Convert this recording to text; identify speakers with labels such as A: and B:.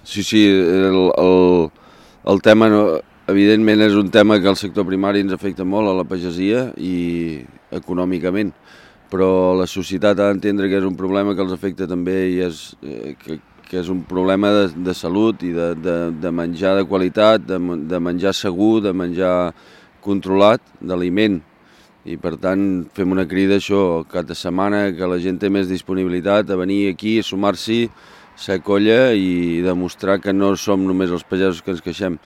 A: Sí, el tema, evidentment, és un tema que el sector primari ens afecta molt a la pagesia i econòmicament, però la societat ha d'entendre que és un problema que els afecta també i que és un problema de salut i de menjar de qualitat, de menjar segur, de menjar controlat, d'aliment. I per tant fem una crida això cada setmana, que la gent té més disponibilitat a venir aquí, a sumar-s'hi, ser colla i demostrar que no som només els pagesos que ens queixem.